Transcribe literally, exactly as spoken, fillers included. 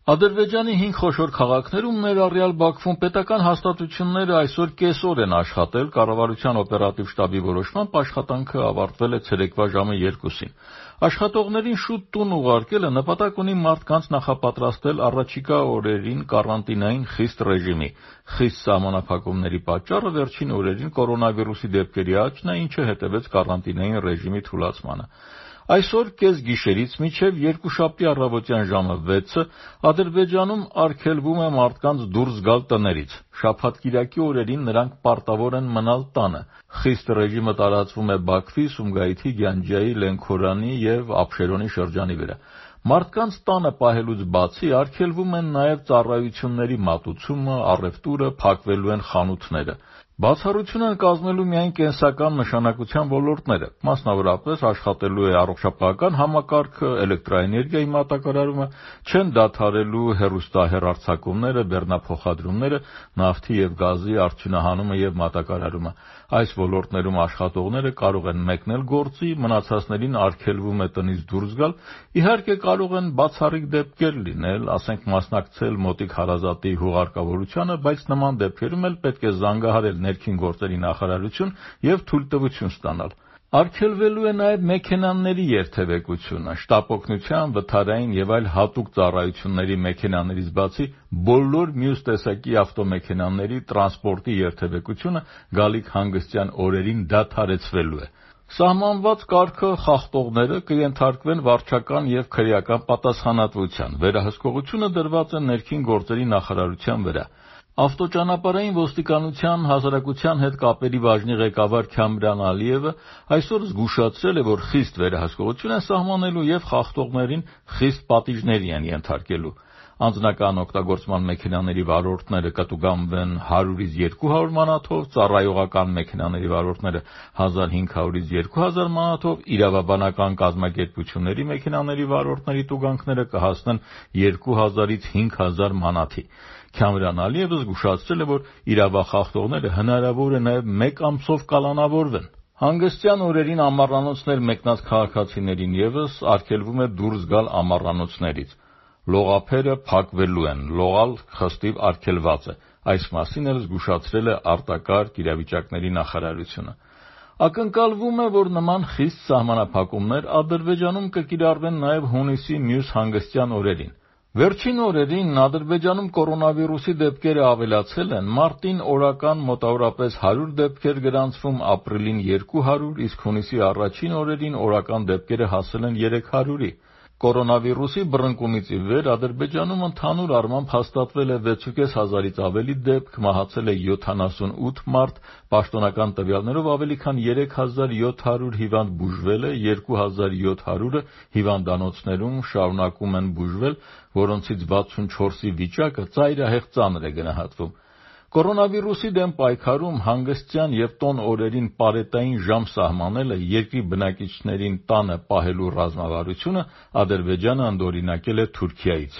Ադրբեջանի հինգ խոշոր քաղաքներում, ներառյալ Բաքվում, պետական հաստատությունները այսօր կեսօր են աշխատել, կառավարության օպերատիվ շտաբի որոշմամբ աշխատանքը ավարտվել է ցերեկվա ժամը երկուսին։ Աշխատողներին շուտ տուն ուղարկելը նպատակ ունի մարդկանց նախապատրաստել առաջիկա օրերին կարանտինային խիստ ռեժիմի։ Խիստ սահմանափակումների պատճառը վերջին օրերին կորոնավիրուսի դեպքերի աճն է, ինչը հետևեց կարանտինային ռեժիմի թուլացմանը։ Այսօր կեսգիշերից մինչև երկուշաբթի առավոտյան ժամը վեցը Ադրբեջանում արգելվում է մարդկանց դուրս գալ տներից։ Շաբաթ-կիրակի օրերին նրանք պարտավոր են մնալ տանը։ Խիստ ռեժիմը տարածվում է Բաքվի, Սումգայիթի, Գյանջայի, Լենքորանի և Աբշերոնի շրջանի վրա։ Մարդկանց տանը պահելուց բացի արգելվում են նաև ծառայությունների մատուցումը, առևտուրը, փակվելու են խանութները։ Բացառություն են կազմելու միայն կենսական նշանակության ոլորտները, մասնավորապես աշխատելու է առողջապահական համակարգը, էլեկտրաէներգիայի մատակարարումը, չեն դադարելու հեռուստահեռարձակումները, բեռնափոխադրումները, նավթի և գազի արդյունահանումը և մատակարարումը։ Այս ոլորտներում աշխատողները կարող են մեկնել գործի, մնացածներին արգելվում է տնից դուրս գալ, իհարկե կարող են բացառիկ դեպքեր լինել, ասենք մասնակցել մոտիկ հարազատի հուղարկավորությանը, բայց նման դեպքերում էլ պետք է զանգահարել ներքին գործերի նախարարություն և թույլտվություն ստանալ։ Արգելվելու է նաև մեքենաների երթևեկությունը, շտապօգնության, վթարային և այլ հատուկ ծառայությունների մեքենաներից բացի բոլոր մյուս տեսակի ավտոմեքենաների տրանսպորտի երթևեկությունը գալիք հանգստյան օրերին դադարեցվելու է։ Սահմանված կարգը խախտողները կենթարկվեն վարչական և քրեական պատասխանատվության։ Վերահսկողությունը դրված է ներքին գործերի նախարարության վրա։ Ավտոճանապարհային ոստիկանության հասարակության հետ կապերի բաժնի ղեկավար Քամրան Ալիևը այսօր զգուշացրել է, որ խիստ վերահսկողություն են սահմանելու և խախտողներին խիստ պատիժների են ենթարկելու։ Անձնական օգտագործման մեքենաների վարորդները կտուգանվեն հարյուրից երկու հարյուր մանաթով, ծառայողական մեքենաների վարորդները հազար հինգ հարյուրից երկու հազար մանաթով, իրավաբանական կազմակերպությունների մեքենաների վարորդների տուգանքները կհասնեն երկու հազարից հինգ հազար մանաթի։ Քամրան Ալիևը զգուշացրել է, որ իրավախախտողները հնարավոր է նաև մեկ ամսով կալանավորվեն։ Հանգստյան օրերին ամառանոցներ մեկնած քաղաքացիներին ևս արգելվում է դուրս գալ ամառանոցներից։ Լողափերը փակվելու են, լողալ խստիվ արգելված է։ Այս մասին էլ զգուշացրել է արտակարգ իրավիճակների նախարարությունը։ Ակնկալվում է, որ նման խիստ սահմանափակումներ Ադրբեջանում կկիրառվեն նաև հունիսի մյուս հանգստյան օրերին։ Վերջին օրերին Ադրբեջանում կորոնավիրուսի դեպքերը ավելացել են, մարտին օրական մոտավորապես հարյուր դեպքեր գրանցվում, ապրիլին երկու հարյուր, իսկ հունիսի առաջին օրերին օրական դեպքերը հասել են երեք հարյուրի։ Կորոնավիրուսի բռնկումից ի վեր Ադրբեջանում ընդհանուր առմամբ հաստատվել է վեցուկես հազարից ավելի դեպք, մահացել է յոթանասունութ մարդ, պաշտոնական տվյալներով ավելի քան երեք հազար յոթ հարյուր հիվանդ բուժվել է, երկու հազար յոթ հարյուրը հիվանդանոցներում շարունակում են բուժվել, որոնցից վաթսունչորսի վիճակը ծայրահեղ ծանր է գնահատվում։ Կորոնավիրուսի դեմ պայքարում հանգստյան և տոն օրերին պարետային ժամ սահմանելը, երկրի բնակիչներին տանը պահելու ռազմավարությունը Ադրբեջանը ընդօրինակել է Թուրքիայից։